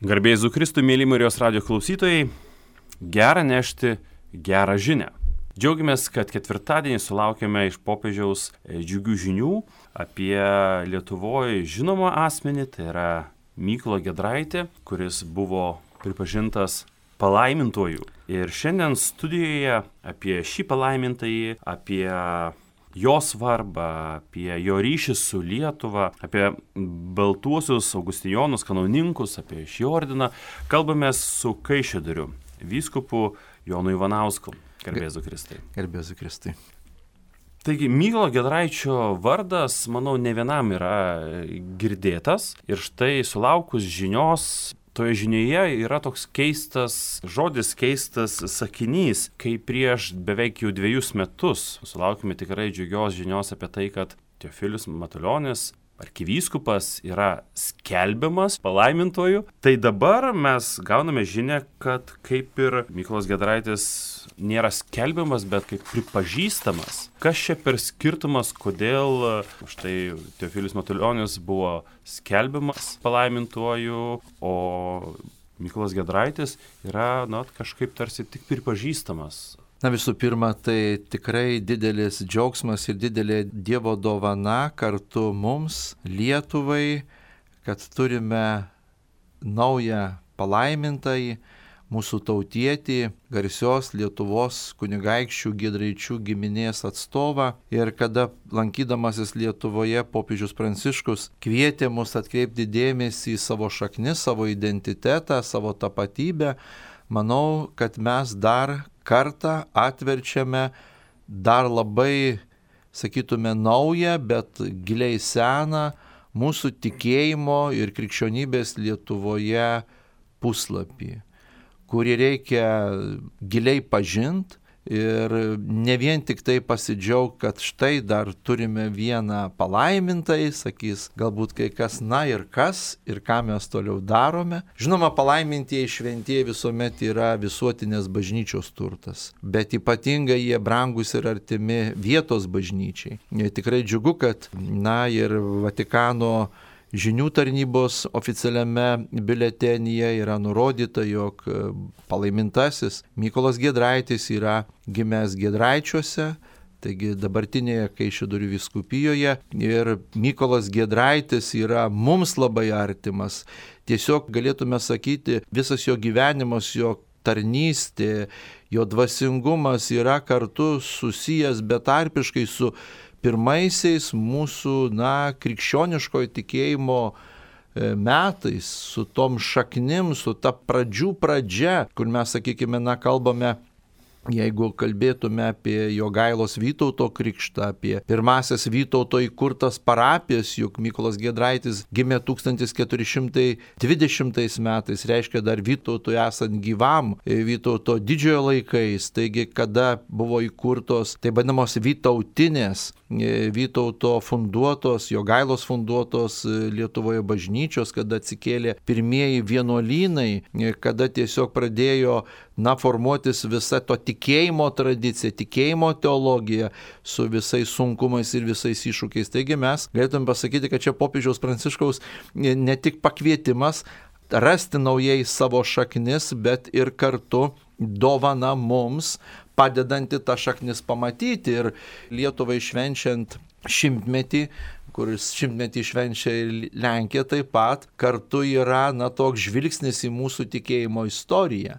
Garbė Jėzui Kristui, mėly Marijos radijo klausytojai, gera nešti gerą žinią. Džiaugiamės, kad ketvirtadienį sulaukėme iš popiežiaus džiugių žinių apie Lietuvoje žinomą asmenį, tai yra Mykolą Giedraitį, kuris buvo pripažintas palaimintuoju. Ir šiandien studijoje apie šį palaimintąjį, apie jo svarbą, apie jo ryšį su Lietuva, apie baltuosius augustijonus, kanauninkus, apie šį ordiną, kalbamės su Kaišiadorių vyskupu Jonu Ivanausku. Garbė Jėzui Kristui. Garbė Jėzui Kristui. Taigi, Mykolo Giedraičio vardas, manau, ne vienam yra girdėtas. Ir štai sulaukus žinios, toje žinioje yra toks keistas žodis, keistas sakinys, kai prieš beveik jau 2 metus sulaukime tikrai džiugios žinios apie tai, kad Teofilius Matulionis, arkivyskupas, yra skelbiamas palaimintuoju. Tai dabar mes gauname žinią, kad kaip ir Mykolas Giedraitis nėra skelbiamas, bet kaip pripažįstamas. Kas čia per skirtumas, kodėl štai Teofilius Matulionis buvo skelbiamas palaimintuoju, o Mykolas Giedraitis yra kažkaip tarsi tik pripažįstamas? Visų pirma, tai tikrai didelis džiaugsmas ir didelė Dievo dovana kartu mums, Lietuvai, kad turime naują palaimintąjį, mūsų tautietį, garsios Lietuvos kunigaikščių Giedraičių giminės atstovą. Ir kada lankydamasis Lietuvoje popiežius Pranciškus kvietė mus atkreipti dėmesį į savo šaknis, savo identitetą, savo tapatybę, manau, kad mes dar kartą atverčiame dar labai, sakytume, naują, bet giliai seną mūsų tikėjimo ir krikščionybės Lietuvoje puslapį, kurį reikia giliai pažinti ir ne vien tik tai pasidžiaugti, kad štai dar turime vieną palaimintąjį, sakys galbūt kai kas, ir kas, ir ką mes toliau darome. Žinoma, palaimintieji šventieji visuomet yra visuotinės bažnyčios turtas, bet ypatingai jie brangus ir artimi vietos bažnyčiai. Tikrai džiugu, kad ir Vatikano žinių tarnybos oficialiame biuletenyje yra nurodyta, jog palaimintasis Mykolas Giedraitis yra gimęs Giedraičiuose, taigi dabartinėje Kaišiadorių vyskupijoje, ir Mykolas Giedraitis yra mums labai artimas. Tiesiog galėtume sakyti, visas jo gyvenimas, jo tarnystė, jo dvasingumas yra kartu susijęs betarpiškai su pirmaisiais mūsų, krikščioniškojo tikėjimo metais, su tom šaknim, su ta pradžių pradžia, kur mes, sakykime, kalbame, jeigu kalbėtume apie Jogailos Vytauto krikštą, apie pirmasias Vytauto įkurtas parapijas, juk Mykolas Giedraitis gimė 1420 metais, reiškia dar Vytautui esant gyvam, Vytauto didžiojo laikais, taigi kada buvo įkurtos taip vadinamos vytautinės, Vytauto funduotos, Jogailos funduotos Lietuvoje bažnyčios, kada atsikėlė pirmieji vienuolynai, kada tiesiog pradėjo formuotis visa to tikėjimo tradicija, tikėjimo teologija su visais sunkumais ir visais iššūkiais. Taigi mes galėtume pasakyti, kad čia popiežiaus Pranciškaus ne tik pakvietimas rasti naujai savo šaknis, bet ir kartu dovana mums, padedanti tą šaknis pamatyti. Ir Lietuvai švenčiant 100-metį, kuris 100-metį švenčia ir Lenkija taip pat, kartu yra toks žvilgsnis į mūsų tikėjimo istoriją.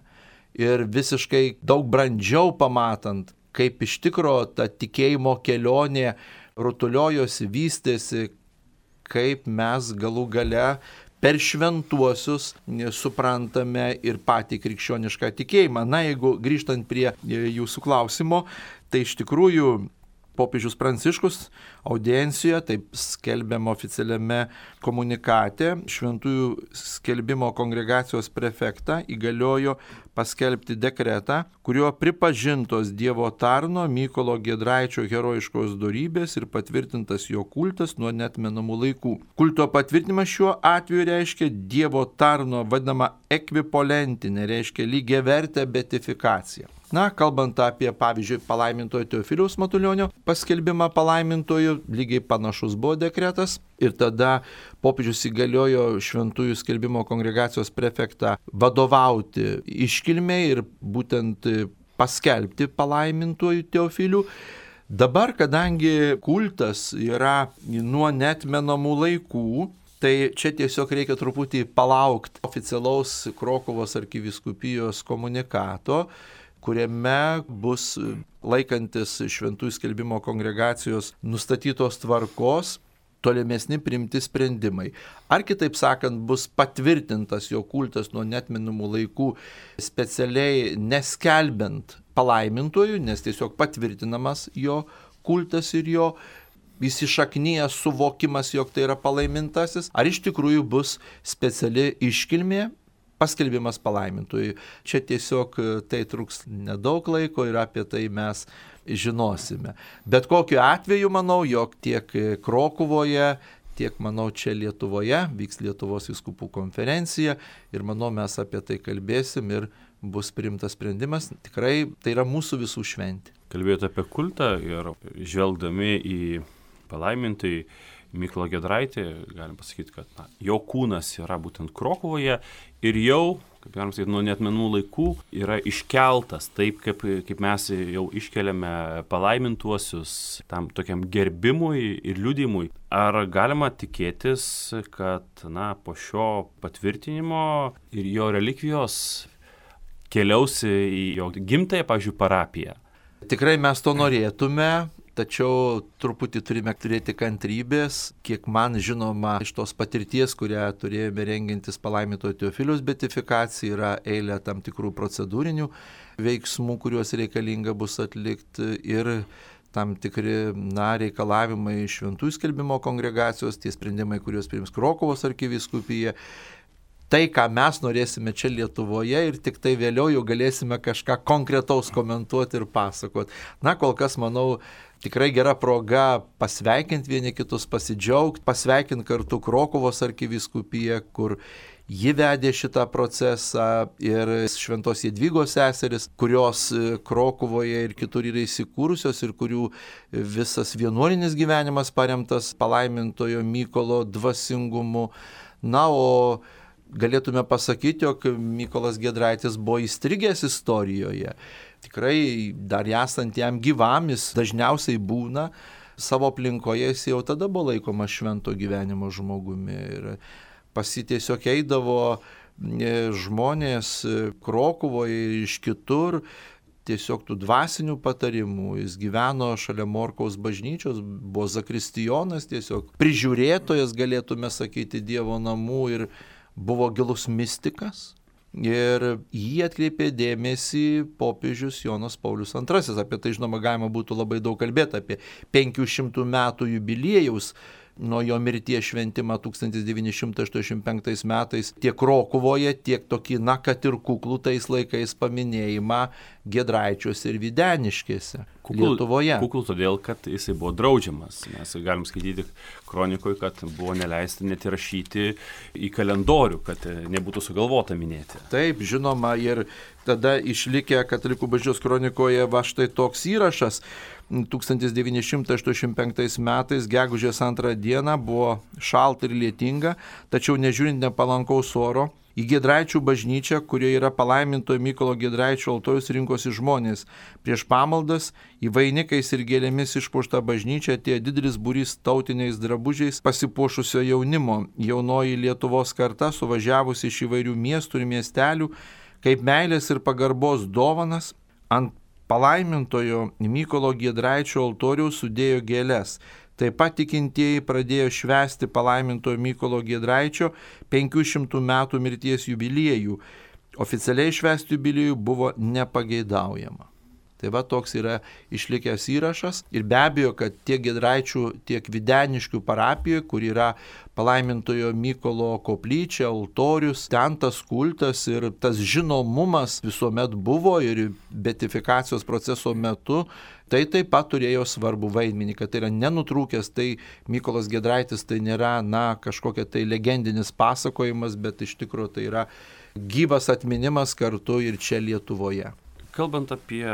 Ir visiškai daug brandžiau pamatant, kaip iš tikro ta tikėjimo kelionė rutuliojosi, vystėsi, kaip mes galų gale per šventuosius suprantame ir patį krikščionišką tikėjimą. Jeigu grįžtant prie jūsų klausimo, tai iš tikrųjų popiežius Pranciškus audiencijoje, taip skelbiama oficialiame komunikate, Šventųjų skelbimo kongregacijos prefektą įgaliojo paskelbti dekretą, kuriuo pripažintos Dievo tarno Mykolo Giedraičio herojiškos dorybės ir patvirtintas jo kultas nuo neatmenamų laikų. Kulto patvirtinimas šiuo atveju reiškia Dievo tarno vadinamą ekvipolentinė, reiškia lygiavertę beatifikaciją. Na, kalbant apie, pavyzdžiui, palaimintojo Teofiliaus Matulionio paskelbimą palaimintoju, lygiai panašus buvo dekretas ir tada popiežius įgaliojo Šventųjų skelbimo kongregacijos prefektą vadovauti iškilmei ir būtent paskelbti palaimintuoju Teofiliu. Dabar, kadangi kultas yra nuo neatmenamų laikų, tai čia tiesiog reikia truputį palaukti oficialaus Krokuvos arkivyskupijos komunikato, kuriame bus laikantis Šventųjų skelbimo kongregacijos nustatytos tvarkos tolimesni priimti sprendimai. Ar kitaip sakant, bus patvirtintas jo kultas nuo neatmenamų laikų specialiai neskelbiant palaimintojų, nes tiesiog patvirtinamas jo kultas ir jo įsišaknyjęs suvokimas, jog tai yra palaimintasis, ar iš tikrųjų bus speciali iškilmė paskelbimas palaimintojui. Čia tiesiog tai truks nedaug laiko ir apie tai mes žinosime. Bet kokiu atveju manau, jog tiek Krokuvoje, tiek manau čia Lietuvoje vyks Lietuvos vyskupų konferencija ir manau mes apie tai kalbėsim ir bus priimtas sprendimas. Tikrai tai yra mūsų visų šventė. Kalbėjote apie kultą ir žvelgdami į palaimintąjį Mykolą Giedraitį, galim pasakyti, kad jo kūnas yra būtent Krokuvoje ir jau, kaip galim sakyti, nuo neatmenų laikų yra iškeltas taip, kaip mes jau iškeliame palaimintuosius tam tokiam gerbimui ir liudijimui. Ar galima tikėtis, kad po šio patvirtinimo ir jo relikvijos keliaus į jo gimtąją, pavyzdžiui, parapiją? Tikrai mes to norėtume. Tačiau truputį turime turėti kantrybės, kiek man žinoma iš tos patirties, kurią turėjome rengiantis palaimintojo Teofiliaus beatifikacijai, yra eilė tam tikrų procedūrinių veiksmų, kuriuos reikalinga bus atlikti ir tam tikri reikalavimai Šventųjų skelbimo kongregacijos, tie sprendimai, kuriuos priims Krokuvos arkivyskupija. Tai, ką mes norėsime čia Lietuvoje ir tik tai vėliau jau galėsime kažką konkretaus komentuoti ir pasakoti. Kol kas, manau, tikrai gera proga pasveikinti vieni kitus, pasidžiaugti, pasveikinti kartu Krokuvos arkivyskupiją, kur ji vedė šitą procesą ir Šventos Jadvygos seseris, kurios Krokuvoje ir kitur yra įsikūrusios ir kurių visas vienuolinis gyvenimas paremtas palaimintojo Mykolo dvasingumu. O galėtume pasakyti, jog Mykolas Giedraitis buvo įstrigęs istorijoje. Tikrai dar esant jam gyvam, jis dažniausiai būna savo aplinkoje, jis jau tada buvo laikomas švento gyvenimo žmogumi. Ir pas jį tiesiog eidavo žmonės Krokuvoje ir iš kitur, tiesiog tų dvasinių patarimų. Jis gyveno šalia Morkaus bažnyčios, buvo zakristijonas, tiesiog prižiūrėtojas, galėtume sakyti, Dievo namų ir buvo gilus mistikas. Ir jį atkreipė dėmesį popiežius Jonas Paulius II. Apie tai, žinoma, galima būtų labai daug kalbėti, apie 500 metų jubiliejaus nuo jo mirties šventimą 1985 metais tiek Krokuvoje, tiek tokį, kad ir kuklų tais laikais paminėjimą Giedraičiuose ir Videniškėse Lietuvoje. Kuklų todėl, kad jisai buvo draudžiamas. Mes galim skaityti kronikoje, kad buvo neleista net įrašyti į kalendorių, kad nebūtų sugalvota minėti. Taip, žinoma, ir tada išlikę Katalikų bažnyčios kronikoje štai toks įrašas. 1985 metais, gegužės 2 dieną, buvo šalta ir lietinga, tačiau nežiūrint nepalankaus oro, į Giedraičių bažnyčią, kurioje yra palaimintojo Mykolo Giedraičio altorius, rinkosi žmonės. Prieš pamaldas į vainikais ir gėlėmis išpuoštą bažnyčią atėjo didelis būrys tautiniais drabužiais pasipuošusio jaunimo. Jaunoji Lietuvos karta, suvažiavusi iš įvairių miestų ir miestelių, kaip meilės ir pagarbos dovanas, ant palaimintojo Mykolo Giedraičio altoriaus sudėjo gėles. Taip pat tikintieji pradėjo švęsti palaimintojo Mykolo Giedraičio 500 metų mirties jubiliejų. Oficialiai švęsti jubiliejų buvo nepageidaujama. Tai va toks yra išlikęs įrašas ir be abejo, kad tiek Giedraičių, tiek Videniškių parapijoje, kur yra palaimintojo Mykolo koplyčia, altorius, ten tas kultas ir tas žinomumas visuomet buvo ir beatifikacijos proceso metu, tai taip pat turėjo svarbų vaidmenį, kad tai yra nenutrūkęs, tai Mykolas Giedraitis tai nėra, kažkokia tai legendinis pasakojimas, bet iš tikrųjų tai yra gyvas atminimas kartu ir čia Lietuvoje. Kalbant apie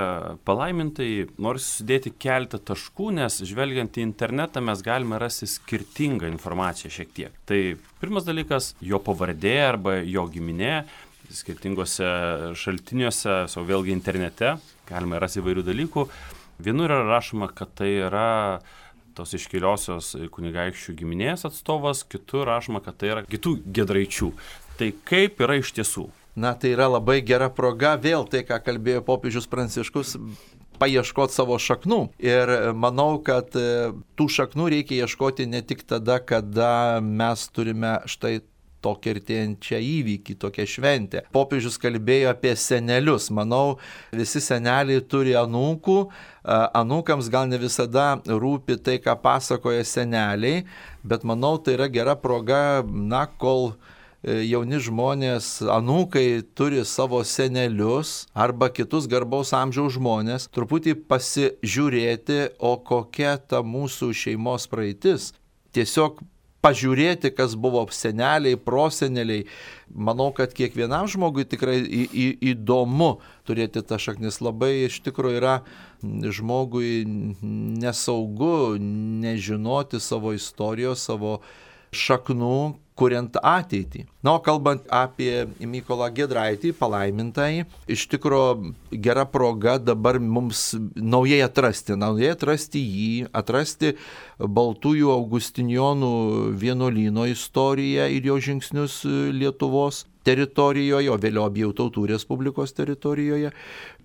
palaimintai, noriu sudėti keletą taškų, nes žvelgiant į internetą mes galime rasti skirtingą informaciją šiek tiek. Tai pirmas dalykas, jo pavardė arba jo giminė, skirtingose šaltiniuose, vėlgi internete, galime rasti įvairių dalykų. Vienur yra rašoma, kad tai yra tos iškiliosios kunigaikščių giminės atstovas, kitur rašoma, kad tai yra kitų Giedraičių. Tai kaip yra iš tiesų? Tai yra labai gera proga vėl tai, ką kalbėjo popiežius Pranciškus, paieškoti savo šaknų. Ir manau, kad tų šaknų reikia ieškoti ne tik tada, kada mes turime štai tokią artėjančią įvykį, tokią šventę. Popiežius kalbėjo apie senelius. Manau, visi seneliai turi anūkų. Anūkams gal ne visada rūpi tai, ką pasakoja seneliai, bet manau, tai yra gera proga, kol jauni žmonės, anūkai turi savo senelius arba kitus garbaus amžiaus žmonės, truputį pasižiūrėti, o kokia ta mūsų šeimos praeitis. Tiesiog pažiūrėti, kas buvo seneliai, proseneliai. Manau, kad kiekvienam žmogui tikrai įdomu turėti tą šaknis. Labai iš tikrųjų yra žmogui nesaugu nežinoti savo istorijos, savo šaknų, kuriant ateitį. O kalbant apie Mykolą Giedraitį, palaimintąjį, iš tikrųjų gera proga dabar mums naujai atrasti jį, atrasti Baltųjų Augustinijonų vienuolyno istoriją ir jo žingsnius Lietuvos teritorijoje, o vėliau Abiejų Tautų Respublikos teritorijoje.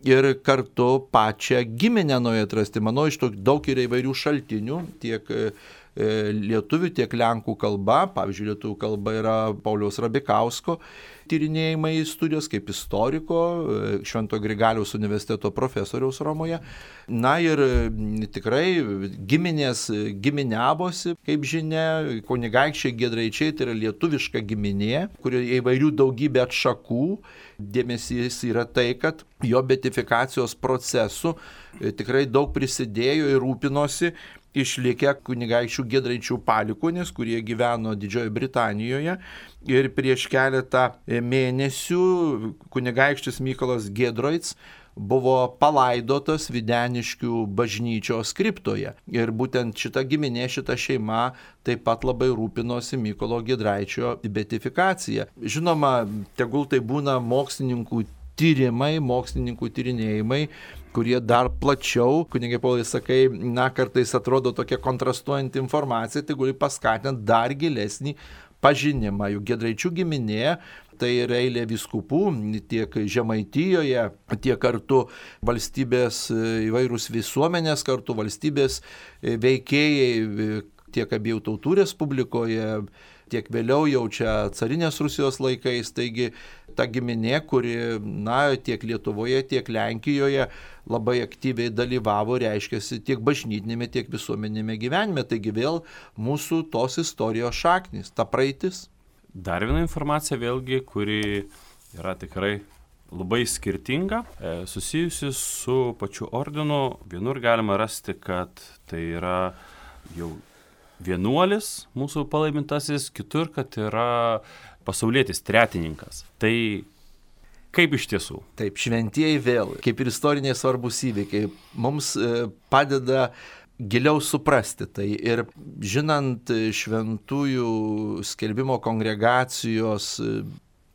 Ir kartu pačią giminę naujai atrasti. Manau, iš to daug yra įvairių šaltinių, tiek lietuvių, tiek lenkų kalba. Pavyzdžiui, lietuvių kalba yra Pauliaus Rabikausko tyrinėjimai studijos kaip istoriko, Švento Grigaliaus universiteto profesoriaus Romoje. Ir tikrai giminės giminiavosi, kaip žinia, kunigaikščiai Giedraičiai, tai yra lietuviška giminė, kurioje įvairių daugybė atšakų. Dėmesys yra tai, kad jo beatifikacijos procesu tikrai daug prisidėjo ir rūpinosi išlikę kunigaikščių Giedraičių palikuonys, kurie gyveno Didžiojoje Britanijoje. Ir prieš keletą mėnesių kunigaikštis Mykolas Giedroitis buvo palaidotas Videniškių bažnyčios kriptoje. Ir būtent šita giminė, šita šeima taip pat labai rūpinosi Mykolo Giedraičio beatifikacija. Žinoma, tegul tai būna mokslininkų tyrimai, mokslininkų tyrinėjimai, kurie dar plačiau, kunigai Paulai sakai, kartais atrodo tokia kontrastuojanti informacija, tai gali paskatinti dar gilesnį pažinimą. Juk Giedraičių giminė tai yra eilė vyskupų tiek Žemaitijoje, tiek kartu valstybės įvairūs visuomenės, kartu valstybės veikėjai tiek Abiejų Tautų Respublikoje, tiek vėliau jau čia carinės Rusijos laikais. Taigi ta giminė, kuri tiek Lietuvoje, tiek Lenkijoje labai aktyviai dalyvavo, reiškiasi tiek bažnytinėme, tiek visuomenėme gyvenime. Taigi vėl mūsų tos istorijos šaknys, ta praeitis. Dar viena informacija vėlgi, kuri yra tikrai labai skirtinga, susijusi su pačiu ordinu. Vienur galima rasti, kad tai yra jau vienuolis mūsų palaimintasis, kitur, kad yra pasaulietis tretininkas. Tai kaip iš tiesų? Taip, šventieji vėl, kaip ir istoriniai svarbus įvykiai, mums padeda giliau suprasti tai. Ir žinant šventųjų skelbimo kongregacijos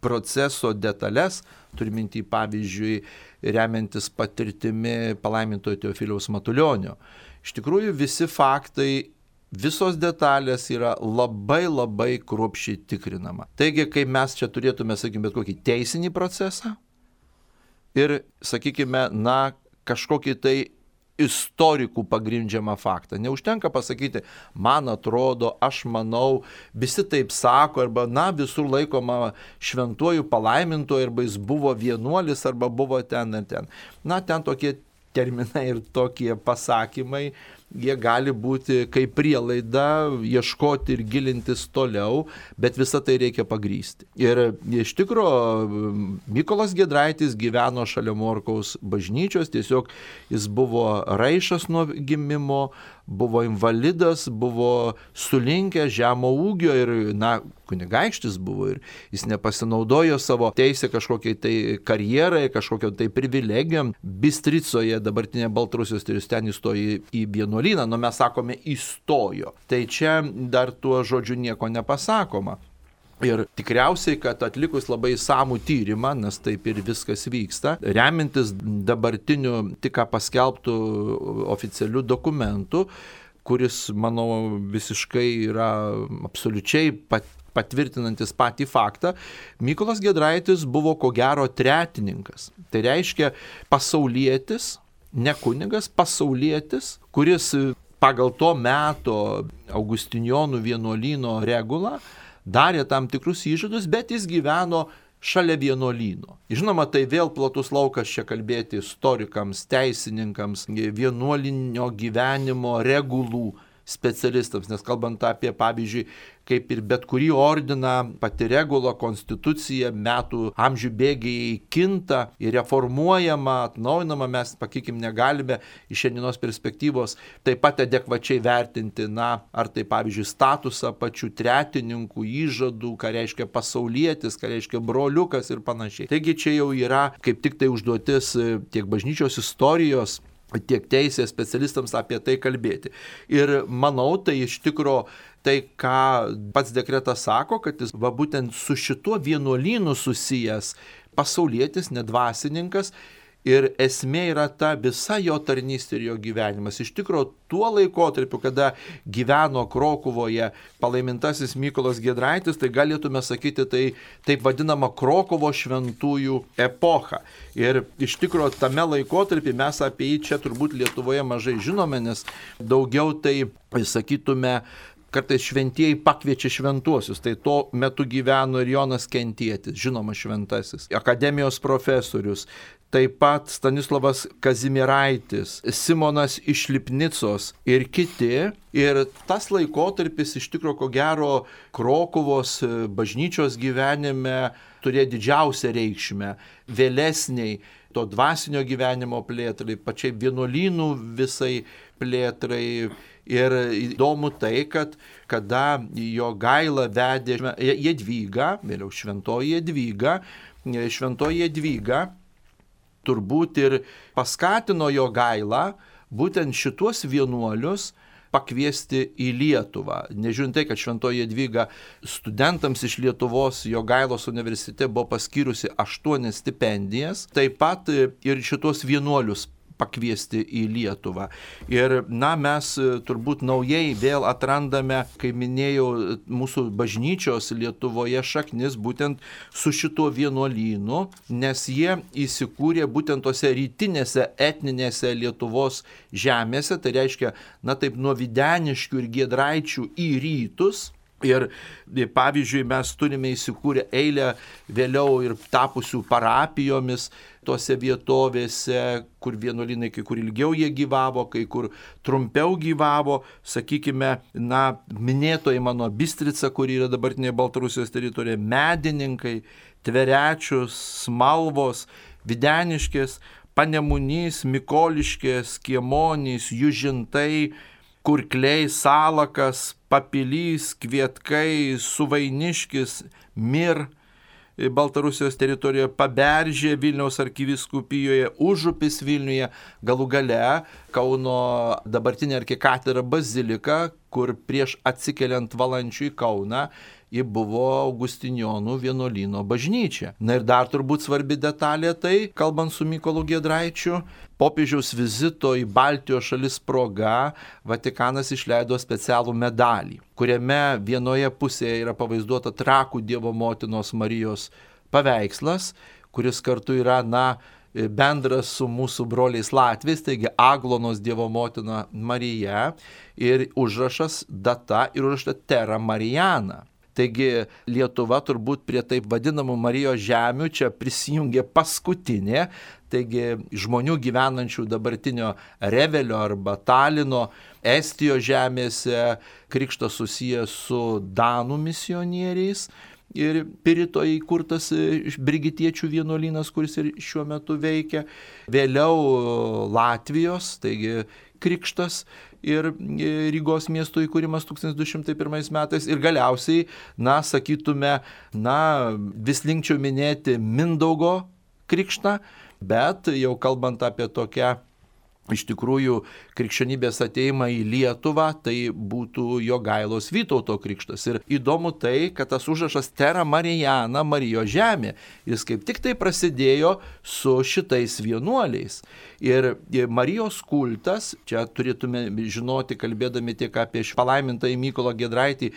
proceso detalės, turiminti pavyzdžiui, remiantis patirtimi palaimintojo Teofiliaus Matulionio, iš tikrųjų visi faktai, visos detalės yra labai labai kruopščiai tikrinama. Taigi, kai mes čia turėtume, sakykime, bet kokį teisinį procesą ir, sakykime, kažkokį tai istorikų pagrindžiamą faktą. Neužtenka pasakyti, man atrodo, aš manau, visi taip sako, arba, visur laikoma šventuoju palaimintoju, arba jis buvo vienuolis, arba buvo ten ir ten. Ten tokie terminai ir tokie pasakymai, jie gali būti kaip prielaida ieškoti ir gilintis toliau, bet visą tai reikia pagrysti. Ir iš tikrųjų Mykolas Giedraitis gyveno šalia Morkaus bažnyčios, tiesiog jis buvo raišas nuo gimimo, buvo invalidas, buvo sulinkęs, žemo ūgio ir, kunigaikštis buvo ir jis nepasinaudojo savo teisę kažkokiai tai karjerai, kažkokio tai privilegijom. Bistricoje, dabartinė Baltarusijos, ir jis ten įstojo į vienuolyną, mes sakome įstojo. Tai čia dar tuo žodžiu nieko nepasakoma. Ir tikriausiai, kad atlikus labai samų tyrimą, nes taip ir viskas vyksta, remintis dabartiniu tik ką paskelbtų oficialių dokumentų, kuris, manau, visiškai yra absoliučiai patvirtinantis patį faktą, Mykolas Giedraitis buvo ko gero tretininkas. Tai reiškia pasaulietis, ne kunigas, pasaulietis, kuris pagal to meto Augustinjonų vienuolyno regulą darė tam tikrus įžadus, bet jis gyveno šalia vienuolyno. Žinoma, tai vėl platus laukas čia kalbėti istorikams, teisininkams, vienuolinio gyvenimo regulų specialistams, nes kalbant apie, pavyzdžiui, kaip ir bet kurį ordiną, pati regula, konstitucija, metų amžių bėgiai kinta ir reformuojama, atnaujinama, mes, pakykim, negalime iš šiandienos perspektyvos taip pat adekvačiai vertinti, ar tai, pavyzdžiui, statusą pačių tretininkų, įžadų, ką reiškia pasaulietis, ką reiškia broliukas ir panašiai. Taigi čia jau yra kaip tik tai užduotis tiek bažnyčios istorijos, tiek teisės specialistams apie tai kalbėti. Ir manau, tai iš tikro tai, ką pats dekretas sako, kad jis būtent su šituo vienuolynu susijęs pasaulietis, nedvasininkas. Ir esmė yra ta visa jo tarnystė ir jo gyvenimas. Iš tikrųjų, tuo laikotarpiu, kada gyveno Krokuvoje palaimintasis Mykolas Giedraitis, tai galėtume sakyti, tai taip vadinama Krokuvo šventųjų epocha. Ir iš tikrųjų, tame laikotarpį mes apie jį čia turbūt Lietuvoje mažai žinome, nes daugiau tai, sakytume, kartais šventieji pakviečia šventuosius, tai tuo metu gyveno ir Jonas Kentietis, žinoma šventasis, akademijos profesorius, taip pat Stanislavas Kazimieraitis, Simonas iš Lipnicos ir kiti. Ir tas laikotarpis iš tikrųjų, ko gero, Krokuvos bažnyčios gyvenime turėjo didžiausią reikšmę vėlesniai to dvasinio gyvenimo plėtrai, pačiai vienuolynų visai plėtrai. Ir įdomu tai, kad kada Jogailą vedė Jadvyga, vėliau šventoji Jadvyga, turbūt ir paskatino Jogailą būtent šituos vienuolius pakviesti į Lietuvą. Nežiūrint tai, kad šventoji Jadvyga studentams iš Lietuvos Jogailos universitete buvo paskyrusi 8 stipendijas, taip pat ir šituos vienuolius pakviesti į Lietuvą. Ir mes turbūt naujai vėl atrandame, kaip minėjau, mūsų bažnyčios Lietuvoje šaknis būtent su šituo vienuolynu, nes jie įsikūrė būtent tose rytinėse etninėse Lietuvos žemėse, tai reiškia, taip nuo Videniškių ir Giedraičių į rytus. Ir pavyzdžiui, mes turime įsikūrę eilę vėliau ir tapusių parapijomis tose vietovėse, kur vienuolynai kai kur ilgiau jie gyvavo, kai kur trumpiau gyvavo. Sakykime, minėtoji mano Bistrica, kuri yra dabartinė Baltarusijos teritorija, Medininkai, Tverečius, Smalvos, Videniškės, Panemunys, Mikoliškės, Kiemonys, Južintai, Kurkliai, Salakas, Papilys, Kvietkai, Suvainiškis, Mir, Baltarusijos teritorijoje, Paberžė, Vilniaus arkivyskupijoje, Užupis Vilniuje, galų gale Kauno dabartinė arkikatedra bazilika, kur prieš atsikeliant Valančių į Kauną, ji buvo Augustinjonų vienuolyno bažnyčia. Ir dar turbūt svarbi detalė tai, kalbant su Mykolu Giedraičiu, popiežiaus vizito į Baltijos šalis proga Vatikanas išleido specialų medalį, kuriame vienoje pusėje yra pavaizduota Trakų Dievo motinos Marijos paveikslas, kuris kartu yra, bendras su mūsų broliais latviais, taigi Aglonos Dievo motina Marija ir užrašas data ir užrašta Terra Marijana. Taigi Lietuva turbūt prie taip vadinamų Marijos žemių čia prisijungė paskutinė, taigi žmonių gyvenančių dabartinio Revelio arba Talino, Estijos žemėse krikštas susijęs su Danų misionieriais. Ir Piritoje įkurtas brigitiečių vienuolynas, kuris ir šiuo metu veikia. Vėliau Latvijos, taigi krikštas ir Rygos miesto įkūrimas 1201 metais. Ir galiausiai, sakytume, vis linkčiau minėti Mindaugo krikštą, bet jau kalbant apie tokią iš tikrųjų krikščionybės ateimą į Lietuvą, tai būtų Jogailos Vytauto krikštas. Ir įdomu tai, kad tas užrašas Terra Mariana, Marijos žemė, jis kaip tik tai prasidėjo su šitais vienuoliais. Ir Marijos kultas, čia turėtume žinoti, kalbėdami tiek apie palaimintąjį Mykolą Giedraitį,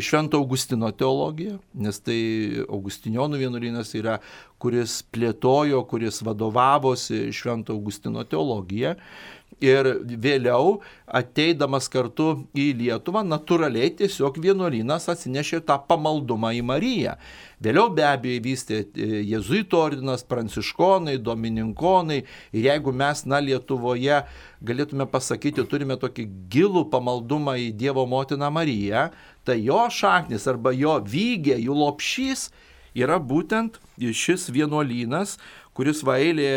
Švento Augustino teologiją, nes tai Augustinionų vienuolynas yra, kuris plėtojo, kuris vadovavosi Švento Augustino teologija. Ir vėliau, ateidamas kartu į Lietuvą, natūraliai tiesiog vienuolynas atsinešė tą pamaldumą į Mariją. Vėliau be abejo vystė jėzuitų ordinas, pranciškonai, domininkonai. Ir jeigu mes, Lietuvoje galėtume pasakyti, turime tokį gilų pamaldumą į Dievo motiną Mariją, tai jo šaknis arba jo vygė, jų lopšys yra būtent šis vienuolynas, kuris eilė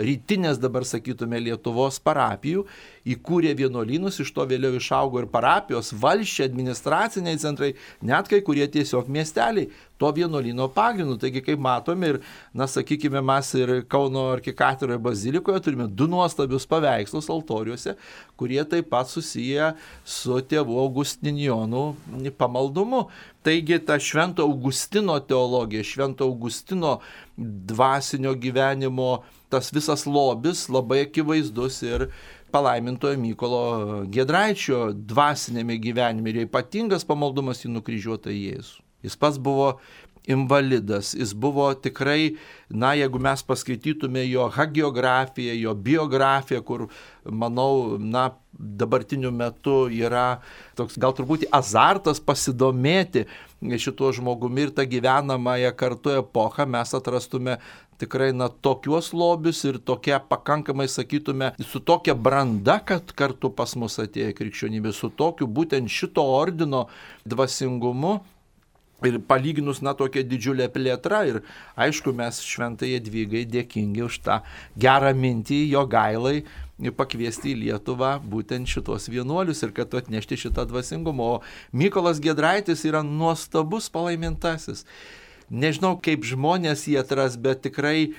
rytinės, dabar sakytume, Lietuvos parapijų, įkūrė vienuolynus, iš to vėliau išaugo ir parapijos, valsčiai, administraciniai centrai, net kai kurie tiesiog miesteliai to vienuolyno pagrindu. Taigi, kaip matome, ir, sakykime, mes ir Kauno arkikatedroje bazilikoje turime 2 nuostabius paveikslus altoriuose, kurie taip pat susiję su tėvų Augustinijonų pamaldumu. Taigi, ta Švento Augustino teologija, Švento Augustino dvasinio gyvenimo, tas visas lobis labai akivaizdus ir palaimintojo Mykolo Giedraičio dvasinėme gyvenime ir ypatingas pamaldumas į nukryžiuotą Jėzų. Jis pats buvo invalidas, jis buvo tikrai, jeigu mes paskaitytume jo hagiografiją, jo biografiją, kur, manau, dabartiniu metu yra toks gal turbūt azartas pasidomėti šituo žmogumi ir tą gyvenamąją kartu epochą, mes atrastume tikrai tokios lobius ir tokia pakankamai, sakytume, su tokia branda, kad kartu pas mus atėjo krikščionybė, su tokiu būtent šito ordino dvasingumu. Ir palyginus, tokia didžiulė plėtra ir aišku, mes Šventai Jadvygai dėkingi už tą gerą mintį Jogailai pakviesti į Lietuvą būtent šitos vienuolius ir kad atnešti šitą dvasingumą. O Mykolas Giedraitis yra nuostabus palaimintasis. Nežinau, kaip žmonės jį atras, bet tikrai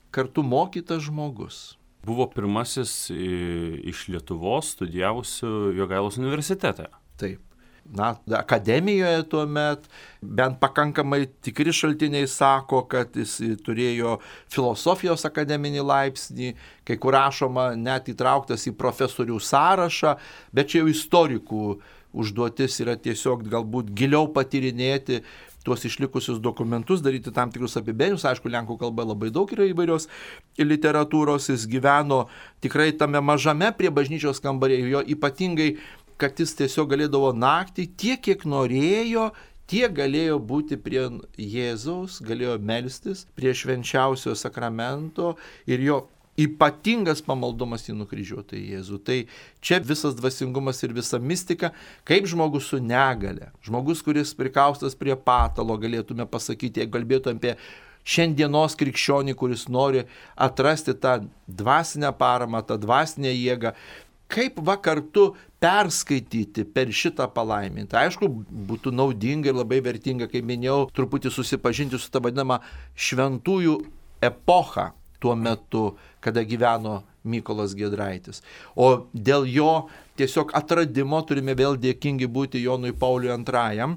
kartu mokytas žmogus. Buvo pirmasis iš Lietuvos studijavusių Jogailos universitete. Taip. Akademijoje tuomet, bent pakankamai tikri šaltiniai sako, kad jis turėjo filosofijos akademinį laipsnį, kai kur rašoma net įtrauktas į profesorių sąrašą, bet čia jau istorikų užduotis yra tiesiog galbūt giliau patyrinėti tuos išlikusius dokumentus, daryti tam tikrus apibendrinimus. Aišku, lenkų kalba labai daug yra įvairios literatūros, jis gyveno tikrai tame mažame prie bažnyčios kambarėje, jo ypatingai kad jis tiesiog galėdavo naktį tiek, kiek norėjo, tiek galėjo būti prie Jėzaus, galėjo melstis prie švenčiausio sakramento ir jo ypatingas pamaldumas į nukryžiuotą Jėzų. Tai čia visas dvasingumas ir visa mistika, kaip žmogus su negale, žmogus, kuris prikaustas prie patalo, galėtume pasakyti, jeigu kalbėtume apie šiandienos krikščionį, kuris nori atrasti tą dvasinę paramą, tą dvasinę jėgą, kaip kartu perskaityti per šitą palaimintą. Aišku, būtų naudinga ir labai vertinga, kaip minėjau, truputį susipažinti su tą vadinamą šventųjų epochą tuo metu, kada gyveno Mykolas Giedraitis. O dėl jo tiesiog atradimo turime vėl dėkingi būti Jonui Pauliui II,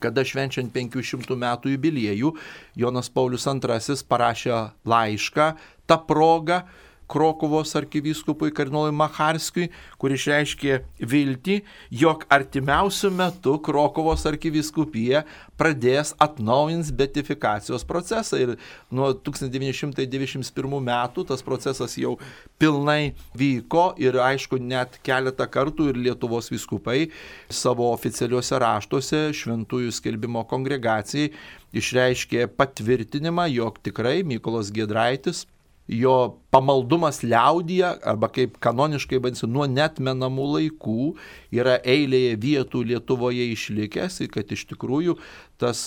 kada švenčiant 500 metų jubiliejų, Jonas Paulius II parašė laišką tą progą Krokuvos arkivyskupui kardinolui Macharskiui, kur išreiškė viltį, jog artimiausiu metu Krokuvos arkivyskupija pradės atnaujins beatifikacijos procesą. Ir nuo 1991 metų tas procesas jau pilnai vyko ir aišku net keletą kartų ir Lietuvos vyskupai savo oficialiuose raštuose Šventųjų skelbimo kongregacijai išreiškė patvirtinimą, jog tikrai Mykolas Giedraitis, jo pamaldumas liaudyje, arba kaip kanoniškai vadinasi, nuo neatmenamų laikų yra eilėje vietų Lietuvoje išlikęs ir kad iš tikrųjų tas,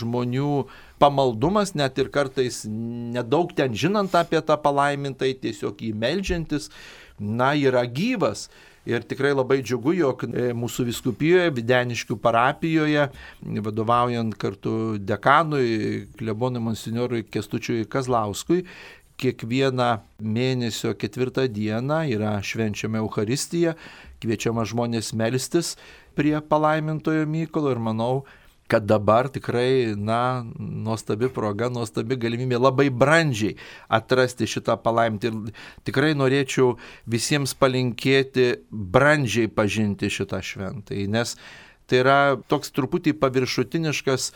žmonių pamaldumas, net ir kartais nedaug ten žinant apie tą palaimintąjį, tiesiog jį meldžiantis, yra gyvas. Ir tikrai labai džiugu, jog mūsų vyskupijoje, Videniškių parapijoje, vadovaujant kartu dekanui, klebonui monsinjorui Kęstučiui Kazlauskui, kiekvieną mėnesio 4 dieną yra švenčiama Eucharistija, kviečiama žmonės melstis prie palaimintojo Mykolo ir manau, kad dabar tikrai, nuostabi proga, nuostabi galimybė labai brandžiai atrasti šitą palaimintį. Ir tikrai norėčiau visiems palinkėti brandžiai pažinti šitą šventąjį, nes tai yra toks truputį paviršutiniškas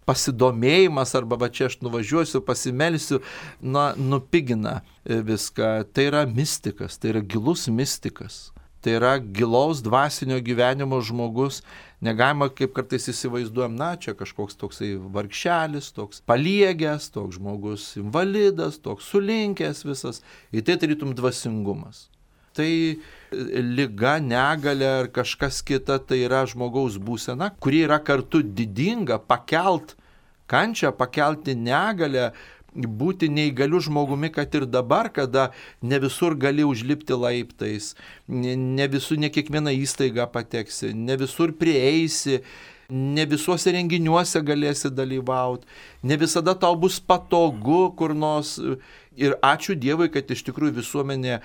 pasidomėjimas, arba čia aš nuvažiuosiu, pasimelsiu, nupigina viską. Tai yra mistikas, tai yra gilus mistikas. Tai yra gilaus dvasinio gyvenimo žmogus. Negalima, kaip kartais įsivaizduojam, čia kažkoks toksai vargšelis, toks paliegęs, toks žmogus invalidas, toks sulinkęs visas. Ir tai tarytum dvasingumas. Tai liga, negalia ar kažkas kita, tai yra žmogaus būsena, kuri yra kartu didinga, pakelt kančią, pakelti negalę, būti neįgaliu žmogumi, kad ir dabar, kada ne visur gali užlipti laiptais, ne kiekvieną įstaigą pateksi, ne visur prieisi, ne visuose renginiuose galėsi dalyvauti, ne visada tau bus patogu kur nors. Ir ačiū Dievui, kad iš tikrųjų visuomenė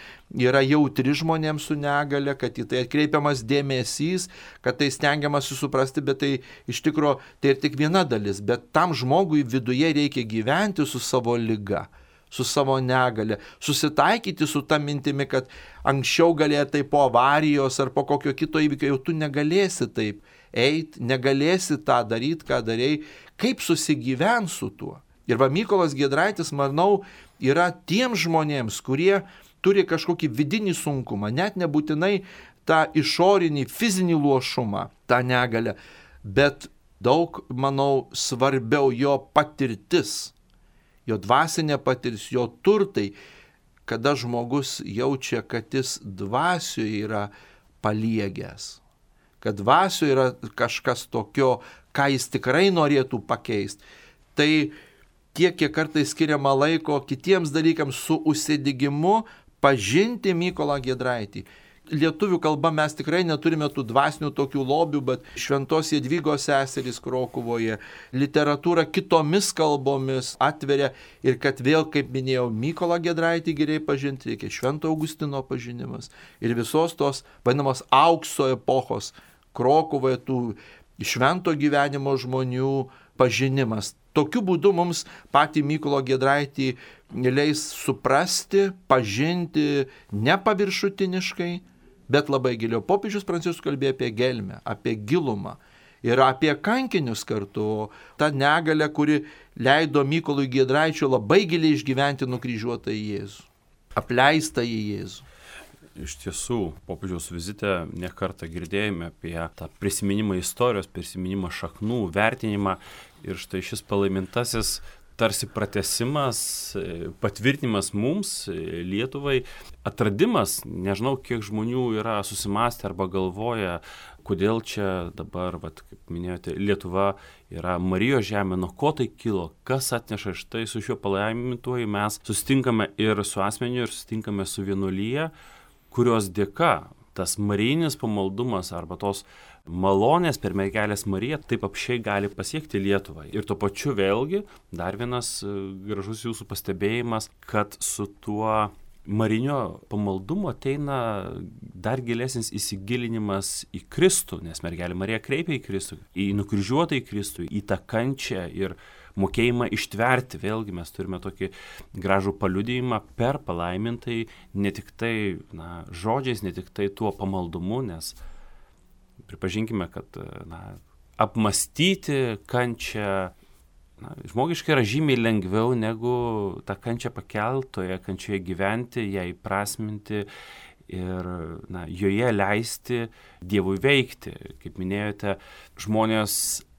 yra jautri žmonėms su negale, kad į tai atkreipiamas dėmesys, kad tai stengiamasi suprasti, bet tai iš tikrųjų tai ir tik viena dalis. Bet tam žmogui viduje reikia gyventi su savo liga, su savo negale, susitaikyti su ta mintimi, kad anksčiau galėjai tai po avarijos ar po kokio kito įvykio, jau tu negalėsi taip eiti, negalėsi tą daryti, ką darėjai, kaip susigyventi su tuo. Ir Mykolas Giedraitis, manau, yra tiems žmonėms, kurie turi kažkokį vidinį sunkumą, net nebūtinai tą išorinį fizinį luošumą, tą negalę, bet daug, manau, svarbiau jo patirtis, jo dvasinė patirtis, jo turtai, kada žmogus jaučia, kad jis dvasioje yra paliegęs, kad dvasioje yra kažkas tokio, ką jis tikrai norėtų pakeisti. Tai tiek, kiek kartais skiriama laiko kitiems dalykams su užsidegimu pažinti Mykolą Giedraitį. Lietuvių kalba mes tikrai neturime tų dvasinių tokių lobių, bet Šventos Jadvygos seserys Krokuvoje literatūrą kitomis kalbomis atveria ir kad vėl, kaip minėjau, Mykolą Giedraitį geriai pažinti, reikia Švento Augustino pažinimas ir visos tos vadinamos aukso epochos Krokuvoje tų švento gyvenimo žmonių pažinimas. Tokiu būdu mums patį Mykolą Giedraitį leis suprasti, pažinti ne paviršutiniškai, bet labai giliau. Popiežius Pranciškus kalbėjo apie gelmę, apie gilumą ir apie kankinius kartu. Ta negalė, kuri leido Mykolui Giedraičiui labai giliai išgyventi nukryžiuotą Jėzų, apleistą Jėzų. Iš tiesų, popiežiaus vizite nekartą girdėjome apie tą prisiminimą istorijos, prisiminimą šaknų, vertinimą ir štai šis palaimintasis tarsi pratęsimas, patvirtinimas mums, Lietuvai, atradimas, nežinau, kiek žmonių yra susimąstę arba galvoja, kodėl čia dabar, kaip minėjote, Lietuva yra Marijos žemė, nuo ko tai kilo, kas atneša. Štai su šiuo palaimintuoju mes susitinkame ir su asmeniu, ir susitinkame su vienuolyje, kurios dėka tas marijinis pamaldumas arba tos malonės per mergelės Mariją taip apšiai gali pasiekti Lietuvą. Ir tuo pačiu vėlgi dar vienas gražus jūsų pastebėjimas, kad su tuo Marinio pamaldumo ateina dar gilesnis įsigilinimas į Kristų, nes mergelė Marija kreipia į Kristų, į nukryžiuotą į Kristų, į tą kančią ir mokėjimą ištverti. Vėlgi mes turime tokį gražų paliudijimą per palaimintai, ne tik tai žodžiais, ne tik tai tuo pamaldumu, nes pripažinkime, kad apmastyti kančią žmogiškai yra žymiai lengviau negu tą kančią pakeltoje, kančioje gyventi, ją įprasminti ir joje leisti Dievui veikti. Kaip minėjote, žmonės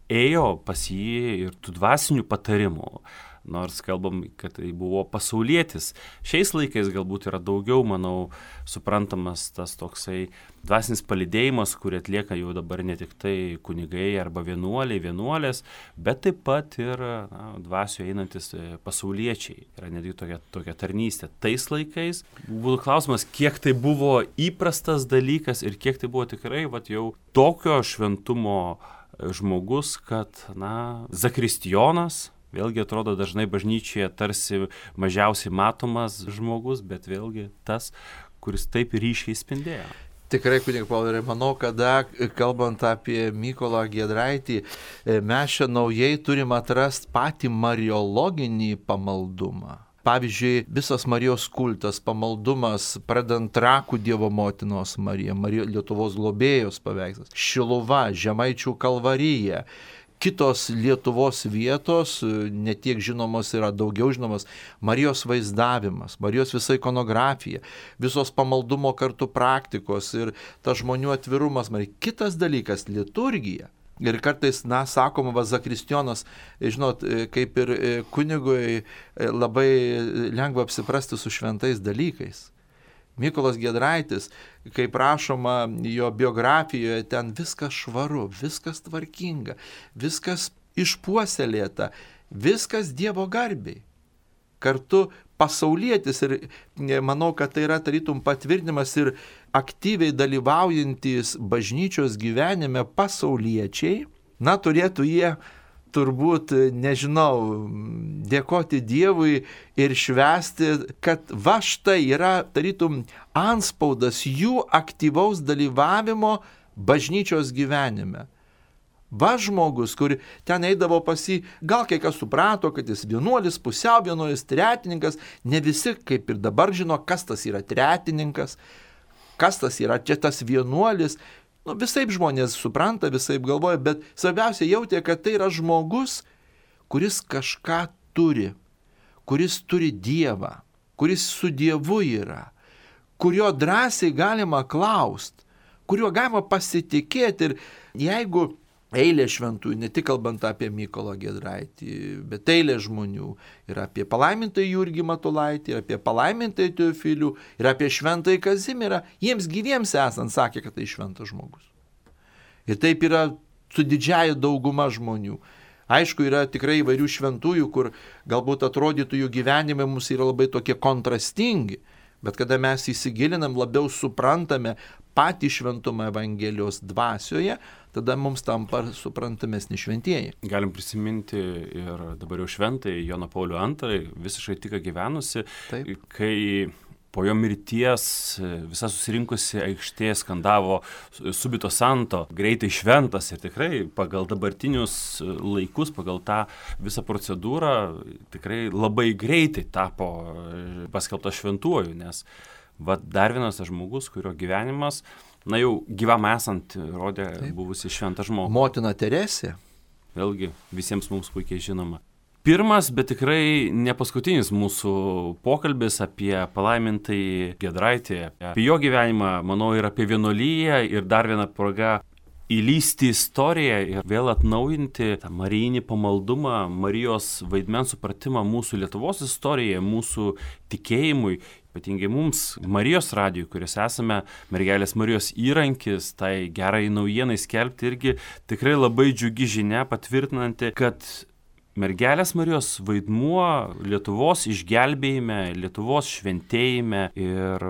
ėjo pas jį ir tų dvasinių patarimų, nors kalbam, kad tai buvo pasaulietis. Šiais laikais galbūt yra daugiau, manau, suprantamas tas toksai dvasinis palydėjimas, kurį atlieka jau dabar ne tik tai kunigai arba vienuolės, bet taip pat ir dvasioje einantis pasauliečiai. Yra netgi tokia tarnystė. Tais laikais būtų klausimas, kiek tai buvo įprastas dalykas ir kiek tai buvo tikrai jau tokio šventumo žmogus, kad zakristijonas, vėlgi atrodo dažnai bažnyčioje tarsi mažiausiai matomas žmogus, bet vėlgi tas, kuris taip ryškiai spindėjo. Tikrai, kunigas Pauliau, manau, kada kalbant apie Mykolą Giedraitį, mes čia naujai turim atrasti patį mariologinį pamaldumą. Pavyzdžiui, visas Marijos kultas, pamaldumas, pradant Trakų Dievo motinos Marija, Lietuvos globėjos paveikslas, Šiluva, Žemaičių Kalvarija, kitos Lietuvos vietos, ne tiek žinomos yra, daugiau žinomos, Marijos vaizdavimas, Marijos visa ikonografija, visos pamaldumo kartu praktikos ir tas žmonių atvirumas. Kitas dalykas - liturgija. Ir kartais, sakoma, zakristijonas, žinot, kaip ir kunigui labai lengva apsiprasti su šventais dalykais. Mykolas Giedraitis, kaip rašoma jo biografijoje, ten viskas švaru, viskas tvarkinga, viskas išpuoselėta, viskas Dievo garbiai. Kartu pasaulietis ir manau, kad tai yra tarytum patvirtinimas ir aktyviai dalyvaujantis bažnyčios gyvenime pasauliečiai, turėtų jie turbūt, nežinau, dėkoti Dievui ir švęsti, kad va štai yra tarytum antspaudas jų aktyvaus dalyvavimo bažnyčios gyvenime. Va žmogus, kur ten eidavo pas jį, gal kai kas suprato, kad jis vienuolis, pusiau vienuolis, tretininkas, ne visi kaip ir dabar žino, kas tas yra tretininkas, kas tas yra čia tas vienuolis. Visaip žmonės supranta, visaip galvoja, bet svarbiausia jautė, kad tai yra žmogus, kuris kažką turi, kuris turi Dievą, kuris su Dievu yra, kurio drąsiai galima klausti, kuriuo galima pasitikėti. Ir jeigu eilė šventųjų, ne tik kalbant apie Mykolą Giedraitį, bet eilė žmonių, ir apie palaimintąjį Jurgį Matulaitį, ir apie palaimintąjį Teofilių, ir apie šventąjį Kazimierą, jiems gyviems esant sakė, kad tai šventas žmogus. Ir taip yra su didžiaja dauguma žmonių. Aišku, yra tikrai įvairių šventųjų, kur galbūt atrodytų jų gyvenimai mums yra labai tokie kontrastingi, bet kada mes įsigilinam, labiau suprantame patį šventumą Evangelijos dvasioje, tada mums tampa suprantamesni šventieji. Galim prisiminti ir dabar jau šventąjį Joną Paulių II, visiškai tik gyvenusi, kai po jo mirties visa susirinkusi aikštė skandavo subito santo, greitai šventas, ir tikrai pagal dabartinius laikus, pagal tą visą procedūrą tikrai labai greitai tapo paskelbtas šventuoju, nes dar vienas žmogus, kurio gyvenimas, jau gyvam esant, rodė buvusi šventą žmogų. Motina Teresė. Vėlgi, visiems mums puikiai žinoma. Pirmas, bet tikrai ne paskutinis mūsų pokalbis apie palaimintąjį Giedraitį, apie jo gyvenimą, manau, ir apie vienuoliją, ir dar viena proga įlysti istoriją ir vėl atnaujinti tą marijinį pamaldumą, Marijos vaidmens supratimą mūsų Lietuvos istorijai, mūsų tikėjimui, ypatingai mums, Marijos radijui, kuris esame mergelės Marijos įrankis, tai gerai naujienai skelbti, irgi tikrai labai džiugi žinia, patvirtinanti, kad mergelės Marijos vaidmuo Lietuvos išgelbėjime, Lietuvos šventėjime ir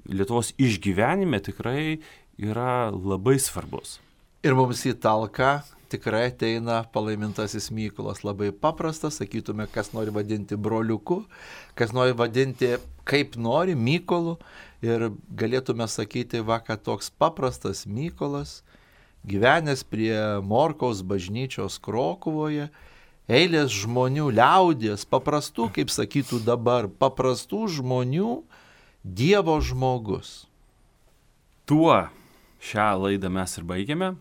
Lietuvos išgyvenime tikrai yra labai svarbus. Ir mums į talką tikrai ateina palaimintasis Mykolas. Labai paprastas, sakytume, kas nori vadinti broliuku, kas nori vadinti kaip nori Mykolu. Ir galėtume sakyti, kad toks paprastas Mykolas, gyvenęs prie Morkaus bažnyčios Krokuvoje, eilės žmonių, liaudies, paprastų, kaip sakytų dabar, paprastų žmonių, Dievo žmogus. Tuo šią laidą mes ir baigiame.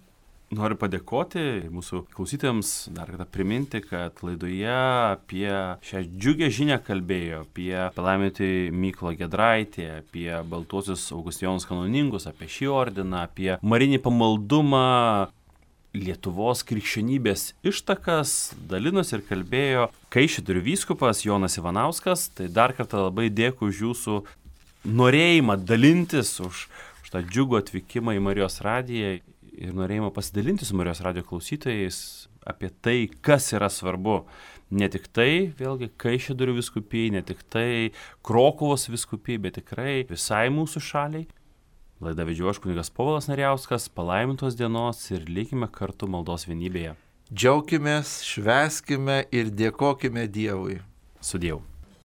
Noriu padėkoti mūsų klausytojams, dar kartą priminti, kad laidoje apie šią džiugę žinią kalbėjo, apie palaimintį Mykolą Giedraitį, apie baltuosius Augustijonus kanoningus, apie šį ordiną, apie marinį pamaldumą, Lietuvos krikščionybės ištakas, dalinosi ir kalbėjo Kaišiadorių vyskupas Jonas Ivanauskas. Tai dar kartą labai dėkui už jūsų norėjimą dalintis, už tą džiugų atvykimą į Marijos radiją ir norėjimą pasidalinti su Marijos radijo klausytojais apie tai, kas yra svarbu. Ne tik tai, vėlgi, Kaišiadorių vyskupijai, ne tik tai Krokuvos vyskupijai, bet tikrai visai mūsų šaliai. Laidą vedžiau aš kunigas Povilas Narijauskas, palaimintos dienos ir likime kartu maldos vienybėje. Džiaukimės, švęskime ir dėkokime Dievui. Sudiev.